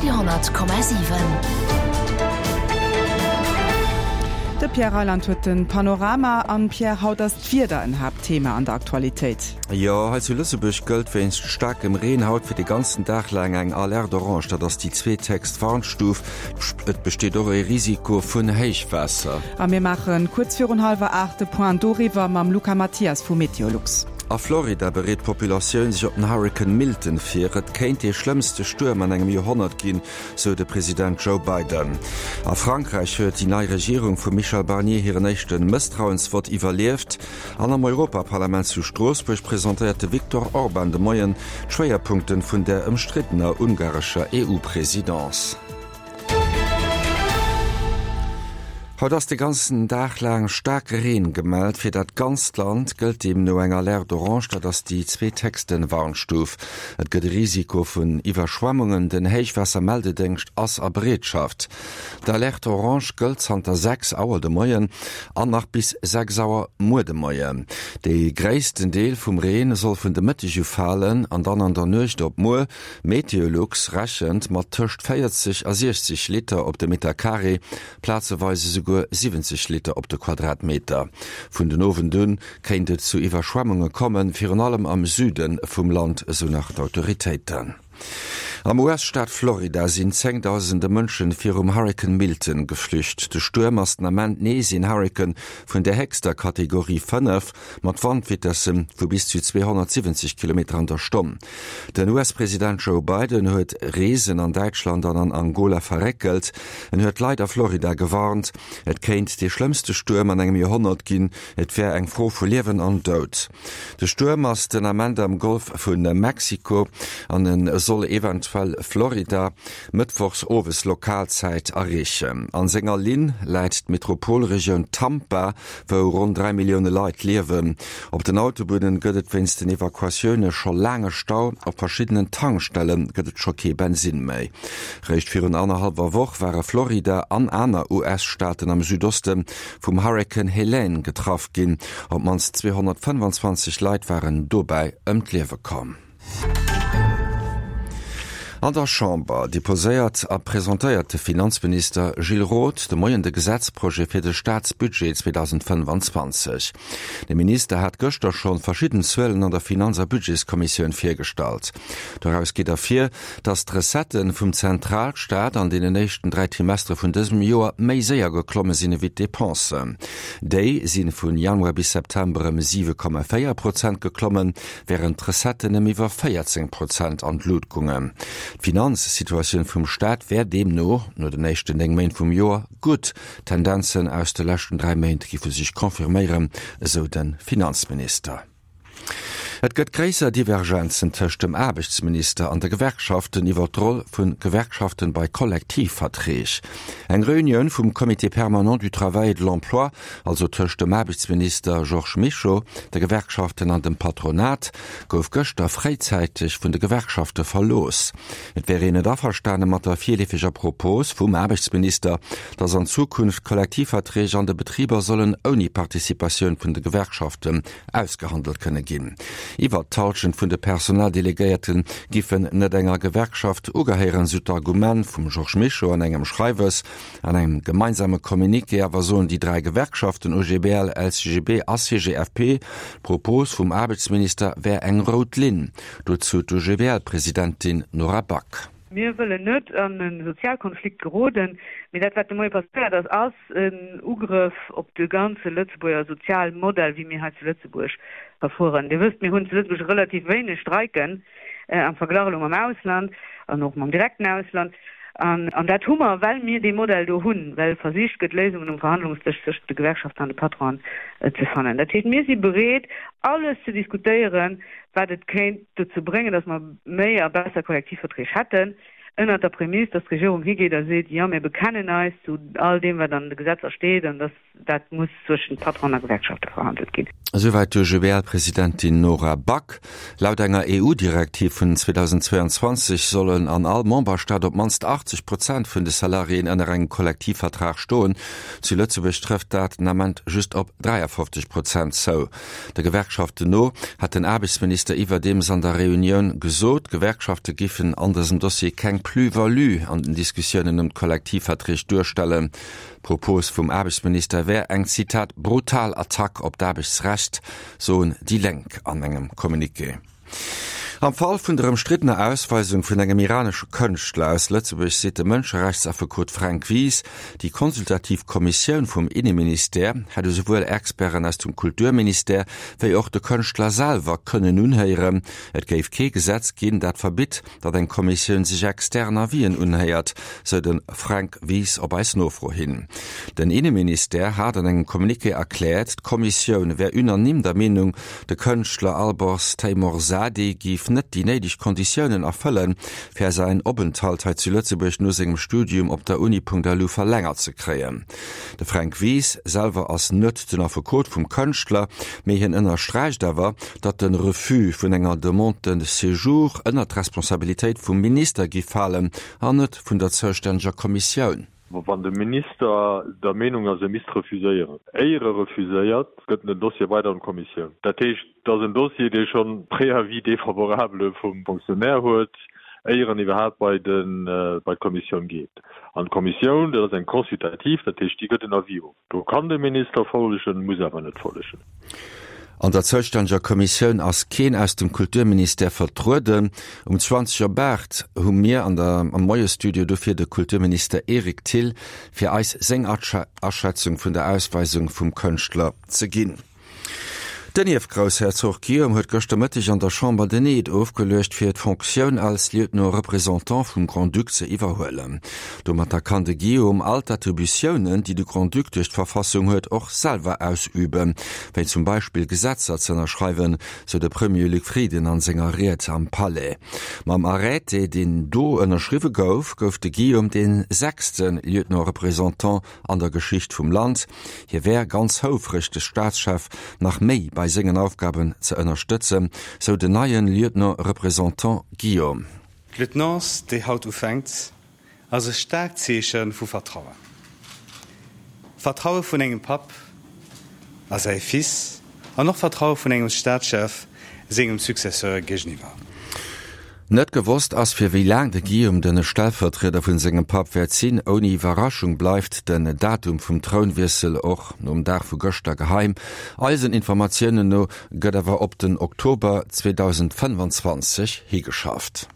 Radio 10,7. De Pierre Reyland huet den Panorama an. Pierre, haut ass d'Wieder en Haaptthema an der Aktualitéit. Jo, hei zu Lëtzebuerg gëllt wéinst staarkem Reen haut fir de ganzen Dag laang eng Alerte orange, dat ass déi zweethéchst Warnstuf. Et besteet och e Risiko vun Héichwaasser. A mir maache kuerz virun hallwer 8 de Point doriwwer mam Luca Mathias vu Meteolux. A Florida bereet d'Populatioun sech op den Hurrikan Milton vir. Et kéint dee schlëmmste Stuerm an engem Joerhonnert ginn, sou de President Joe Biden. A Frankräich huet déi nei Regierung vum Michel Barnier hiren éischte Mësstrauensvott iwwerlieft. An am Europaparlament zu Stroossbuerg presentéiert de Viktor Orban de Moien d'Schwéierpunkte vun der ëmstriddener ungarescher EU-Presidence. Haut ass de ganzen Dag laang staarke Reen gemellt. Fir dat ganzt Land gëllt deemno eng Alerte orange, dat ass déi zweethéchste Warnstuf. Et gëtt e Risiko vun Iwwerschwemmungen, den Héichwaassermeldedéngscht ass a Bereetschaft. D'Alerte orange gëllt zanter 6 Auer de Moien an nach bis 6 Auer muer de Moien. Dee gréissten Deel vum Reen soll vun de Mëtteg u falen an dann an der Nuecht op muer. Meteolux rechent mat tëscht 40 a 60 Liter op de Meter Carré, plazeweis esouguer 70 Liter op de Quadratmeter. Vun den Owend un kéint et zu Iwwerschwemmunge kommen, virun allem am Süde vum Land, esou nach d'Autoritéiten. Am US-Staat Florida sinn zéngdausende Mënschen virum Hurrikan Milton geflücht. De Stuerm ass den Ament nees een Hurrikan vun der héchster Kategorie 5, mat Wandvitesse vu bis zu 270 Kilometer an der Stonn. Den US-President Joe Biden huet Reesen an Däitschland an an Angola verréckelt. En huet d'Leit a Florida gewarnt, et kéint dee schlëmmste Stuerm an engem Joerhonnert ginn, et wär eng Fro vu Liewen an Doud. De Stuerm ass den Ament am Golf vu Mexiko an e soll eventuell Florida mëttwochs owes Lokalzäit erreechen. An senger Linn läit d'Metropolregioun Tampa, wou ronn 3 Millioune Leit liewen. Op den Autobunnen gëtt et wéinst den Evakuatioune scho laange Stau, op verschiddenen Tankstelle gëtt et scho kee Bensinn méi. Réischt virun annerhallwer Woch ware Florida an aner US-Staaten am Südoste vum Hurrikan Helene getraff ginn. Op d'mannst 225 Leit waren dobäi ëm d'Liewe komm. An der Chamber deposéiert a presentéiert de Finanzminister Gilles Roth de Moien de Gesetzprojet fir de Staatsbudget 2025. De Minister hat gëschter schonn verschidden Zuelen an der Finanz a Budgetskommissioun virgestallt. Doraus geet ervir, datt d'Recettë vum Zentralstaat an deenen éischten 3 Trimestere vun dësem Joer méi séier geklomme sinn ewéi d'Depensen. Déi si vun Januar bis September ëm 7,4 Prozent geklommen, wärend d'Recetten ëm iwwer 14 Prozent an d'Lut gungen. D'Finanzsituatioun vum Staat wär deemno no den éischten 9 Méint vum Joer gutt. D'Tendenzen aus de leschten 3 Méint géife sech confirméieren, esou de Finanzminister. Et gëtt gréisser Divergenzen tëscht dem Aarbechtsminister an de Gewerkschaften iwwer d'Roll vu Gewerkschaften bei Kollektivverträg. Eng Reunioun vum Comité permanent du travail et de l'emploi also tëscht dem Aarbechtsminister Georges Mischo, de Gewerkschaften an dem Patronat, gouf gëschter fréizäiteg vun de Gewerkschafte verlooss. Et wär een net averstane mat der virleefeger Propos vum Aarbechtsminister, datt an Zukunft Kollektivverträg an de Betriber sollen ouni Participatioun vun de Gewerkschaften ausgehandelt kënne ginn. Iwwert d'Hallschent vun de Personaldelegéierte giffen net enger Gewerkschaft ugehéieren, sou d'Argument vum Georges Mischo an engem Schreiwes. An engem gemeinsame Communiqué awer soen déi 3 Gewerkschaften OGBL, LCGB a CGFP, d'Propos vum Aarbechtsminister wär eng rout Linn. Dozou d'OGBL-Presidentin Nora Back. Mir wëllen net an e Sozialkonflikt geroden, mee dat wat de Moie passéiert ass, ass en Ugrëff op de ganze Lëtzebuerger Sozialmodell, wéi mir hei zu Lëtzebuerg verfueren. Dir wësst, mir hunn zu Lëtzebuerg relativ wéineg Streiken am Verglach elo mam Ausland an och mam direkten Ausland. An dat hu mer, well mir dee Modell do hunn, well versicht gëtt, Léisungen um Verhandlungsdësch tëschent de Gewerkschaften an de Patronen ze fannen. Dat heescht, mir si bereet, alles ze diskutéieren, wat et kéint dozou bréngen, datt mer méi a besser Kollektivverträg hätten, ënnert der Prämiss, datt d'Regierung higeet a seet, Jo, mir bekennen eis zu all deem, wat an de Gesetzer steet, an datt Dat muss zwëschent Patron a Gewerkschafte verhandelt ginn. Esouwäit d'UGBL-Presidentin Nora Back. Laut enger EU-Direktiv vun 2022 sollen an all Memberstaat op d'mannst 80 Prozent vun de Salariéen ënner engem Kollektivvertrag stoen. Zu Lëtzebuerg trëfft dat den Ament just op 53 Prozent zou. De Gewerkschaften no hat den Aarbechtsminister iwwerdeems an der Reunioun gesot, d'Gewerkschafte giffen an dësem Dossier keng. Plus-value an den Diskussiounen ëm d'Kollektivverträg duerstellen. D'Propos vum Aarbechtsminister wär eng, Zitat, brutal Attack op d'Aarbechtsrecht, soen déi Lénk an engem Communiqué. Am Fall vun der ëmstriddener Ausweisung vun engem iranesche Kënschtler aus Lëtzebuerg seet de Mënscherechtsaffekot Fränk Wies, déi consultativ Kommissioun vum Inneministère hätt esouwuel Experten aus dem Kulturministère wéi och de Kënschtler selwer kënnen unhéieren. Et géif kee Gesetz ginn, dat verbitt, datt eng Kommissioun sech extern Avisen unhéiert, sou de Fränk Wies op eis Nofro hin. Den Inneministère hat an engem Communiqué erkläert, d'Kommissioun wär unanime der Meenung, de Kënschtler Alborz Teymoorzadeh géif net déi néideg Konditiounen erfëllen, fir säin Openthalt hei zu Lëtzebuerg no sengem Studium op der Uni.lu verlängert ze kréien. De Fränk Wies selwer ass net den Affekot vum Kënschtler, mee hien ënnersträicht awer, datt de Refus vun enger Demande de séjour ënnert d'Responsabilitéit vum Minister giff falen an net vun der zoustänneger Kommissioun. Wann de Minister der Meenung ass, e misst refuséieren, éier e refuséiert, gëtt en den Dossier weider an d'Kommissioun. Dat heescht, et ass en Dossier, dee schonn Préavis défavorable vum Fonctionnaire huet, éier en iwwerhaapt bei d'Kommissioun geet. An d'Kommissioun, dat ass eng consultativ, dat heescht, déi gëtt en Avis of. Do kann de Minister follegen, muss awer net follegen. An der zoustänneger Kommissioun ass keen aus dem Kulturministère vertrueden. Um 20 op 8 hu mir an der am Moie-Studio dofir de Kulturminister Eric Thill fir eis seng Aschätzung vun der Ausweisung vum Kënschtler ze ginn. Den Ierfgroussherzog Guillaume huet gëschter Mëtteg an der Chamber den Eed ofgeluecht, fir d'Fonctioun als Lieutenant représentant vum Grand-Duc ze iwwerhuelen. Domatter kann de Guillaume all d'Attributiounen, déi de Grand-Duc duerch d'Verfassung huet, och selwer ausüben, wéi zum Beispill Gesetzer ze ënnerschreiwen, sou de Premier Luc Frieden an senger Ried am Palais. Mam Arrêté, deen do ënnerschriwwe gouf, gouf de Guillaume dee sechste Lieutenant représentant an der Geschicht vum Land. Hie wär ganz houfreg de Staatschef nach méi bei sengen Aufgaben ze ënnerstëtzen, sou den neien Lieutenant Représentant Guillaume. D'Lieutenance, déi haut ufänkt, ass e staarkt Zeeche vu Vertrauen. Vertraue vun engem Papp a säi Fils an och Vertraue vun engem Staatschef sengem Successeur géigeniwwer. Net gewosst ass fir wéi laang de Guillaume den Stellvertrieder vun sengem Papp wäert sinn. Ouni Iwwerraschung bleift den Datum vum Trounwiessel och nom Dag vu gëschter geheim. Eisen Informatiounen no gëtt awer op den Oktober 2025 higeschafft.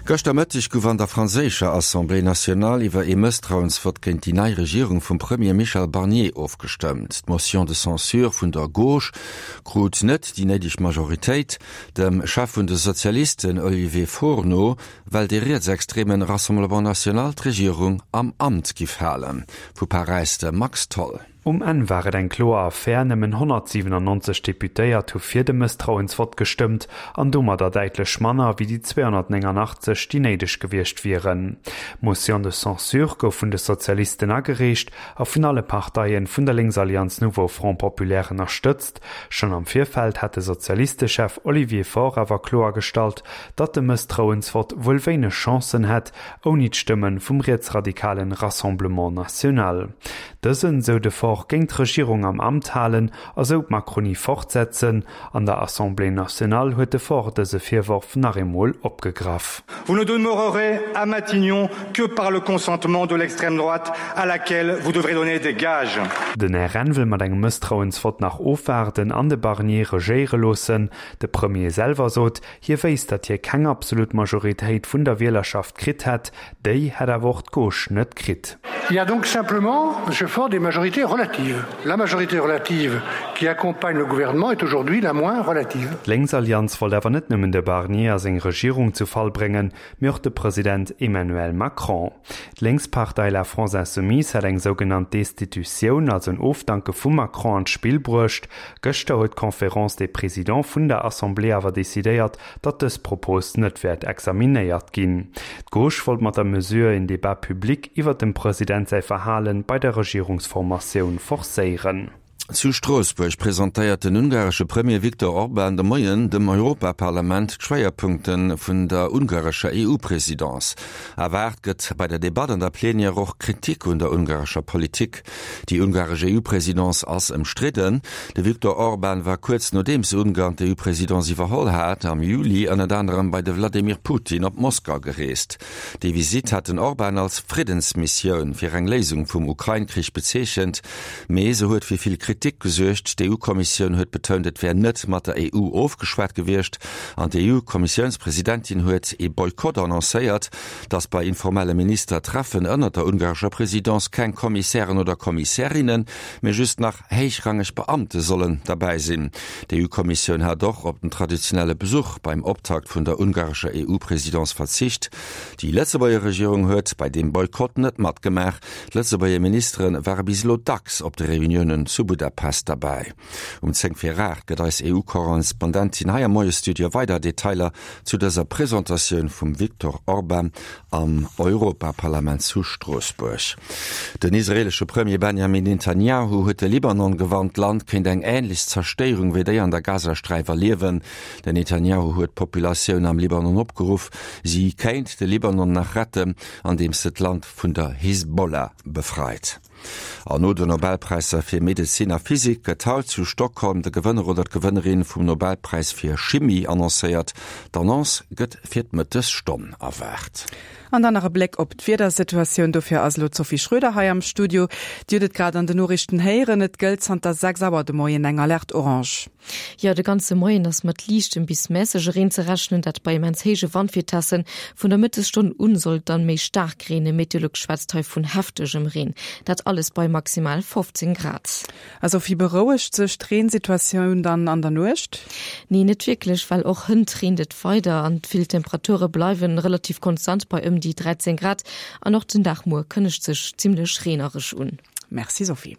Gëschter Mëtteg gouf an der franséischer Assemblée nationale iwwer ee Mësstrauensvott géint déi nei Regierung vum Premier Michel Barnier ofgestëmmt. D'Motion de censure vun der Gauche krut net déi néideg Majoritéit. Dem Chef vun de Sozialisten Olivier Faure no well dee rietsextremen Rassemblement National d'Regierung am Amt giff halen. Vu Paräis de Max Tholl. Um Enn war et eng kloer Affär, nëmmen 197 Deputéiert hu fir de Mësstrauensvott gestëmmt an domadder däitlech manner wéi déi 289, déi néideg gewiescht wieren. D'Motion de censure gouf vun de Sozialisten agereecht a vun alle Parteien vun der Lénksallianz Nouveau Front Populaire ënnerstëtzt. Schonn am Virfeld hat de Sozialistechef Olivier Faure awer kloergestallt, datt de Mësstrauensvott wuel wéineg Chancen hätt, ouni d'Stëmme vum rietsradikalen Rassemblement National. Dësen, sou de Faure, géing d'Regierung am Amt halen a sou d'Macronie fortsetzen. An der Assemblée nationale huet de Faure dëse Virworf nach eemol opgegraff. Vous ne demeurerez à Matignon que par le consentement de l'extrême droite à laquelle vous devrez donner des gages. Den RN wëll mat engem Mësstrauensvott nach ofwaarden an de Barnier regéiere loossen. De Premier selwer sot, Hie wéisst, datt hie keng absolut Majoritéit vun der Wielerschaft kritt hätt, déi hätt awer och d'Gauche net kritt. Il y a donc simplement, Monsieur Faure, des majorités relatives. La majorité relative qui accompagne le gouvernement est aujourd'hui la moins relative. D'Lénksallianz wollt awer net nëmmen de Barnier a seng Regierung zu Fall bréngen, mee och de President Emmanuel Macron. D'Lénkspartei La France Insoumise hat eng sougenannt Destitutioun, also en Ofdanke vum Macron an d'Spill bruecht. Gëschter huet d'Conférence des Présidents vun der Assemblée awer decidéiert, datt dës Propos net wäert examinéiert ginn. D'Gauche wollt mat der Mesure een Débat public iwwer dem President säi Verhale bei der Regierungsformatioun forcéieren. Zu Stroossbuerg presentéiert den ungaresche Premier Viktor Orban de Moien dem Europaparlament d'Schwéierpunkte vun der ungarescher EU-Presidence. Erwaart gëtt bei der Debatt an der Plenière och Kritik un der ungarescher Politik. Déi ungaresch EU-Presidence ass ëmstridden. De Viktor Orban war kuerz nodeems Ungarn d'EU-Presidence iwwerholl hat, am Juli ënnert anerem bei de Wladimir Putin op Moskau gereest. Déi Visitt hat den Orban als Friddensmissioun fir eng Léisung vum Ukrain-Krich bezeechent. Mee se huet fir vill Kritik gesuergt. D'EU-Kommissioun huet betount, et wär net mat der EU ofgeschwat gewiescht. An d'EU-Kommissiounspresidentin huet ee Boykott annoncéiert, datt bei informelle Ministertreffen ënnert der ungarescher Presidence keng Kommissären oder Kommissärinnen, mee just nach héichrangeg Beamte sollen derbäi sinn. D'EU-Kommissioun hat och op den traditionelle Besuch beim Optakt vun der ungarescher EU-Presidence verzicht. Déi Lëtzebuerger Regierung huet bei deem Boykott net matgemaach. D'Lëtzebuerger Ministere ware bis elo dacks op de Reuniounen zu Budapest derbäi. Um 10 vir 8 gëtt eis EU-Korrespondentin hei am Moie-Studio weider Detailer zu dëser Presentatioun vum Viktor Orban am Europaparlament zu Stroossbuerg. Den israeelesche Premier Benjamin Netanjahu huet de Libanon gewarnt, d'Land kéint eng änlech Zerstéierung wéi déi an der Gazasträif erliewen. Den Netanjahu huet d'Populatioun am Libanon opgeruff, si kéint de Libanon nach retten, andeems se d'Land vun der Hisbollah befreit. An no den Nobelpräisser fir Medezin a Physik gëtt haut zu Stockholm de Gewënner oder d'Gewënnerin vum Nobelpräis fir Chimie annoncéiert. D'Annonce gëtt fir d'Mëttesstonn erwaart. An dann nach e Bléck op d'Wiedersituatioun. Dofir ass elo d'Sophie Schröder hei am Studio. Dir hutt et grad an den Noriichten héieren, Et gëllt zanter 6 Auer de Moien eng Alerte orange. Jo, de ganze Moien ass mat liichtem bis mässege Reen ze rechnen, dat bei immens héije Wandvitessen. Vun der Mëttesstonn un soll et dann méi staark reenen, Meteolux schwätzt hei vun heftegem Reen. Dat alles bei maximal 15 Grad. A Sophie, berouegt sech d'Reensituatioun dann an der Nuecht? Nee, net wierklech, well och hënt reent et weider an vill Temperature bleiwen relativ konstant bei ëm déi 13 Grad. An och den Dag muer kënnegt sech zimmlech reenereg un. Merci Sophie.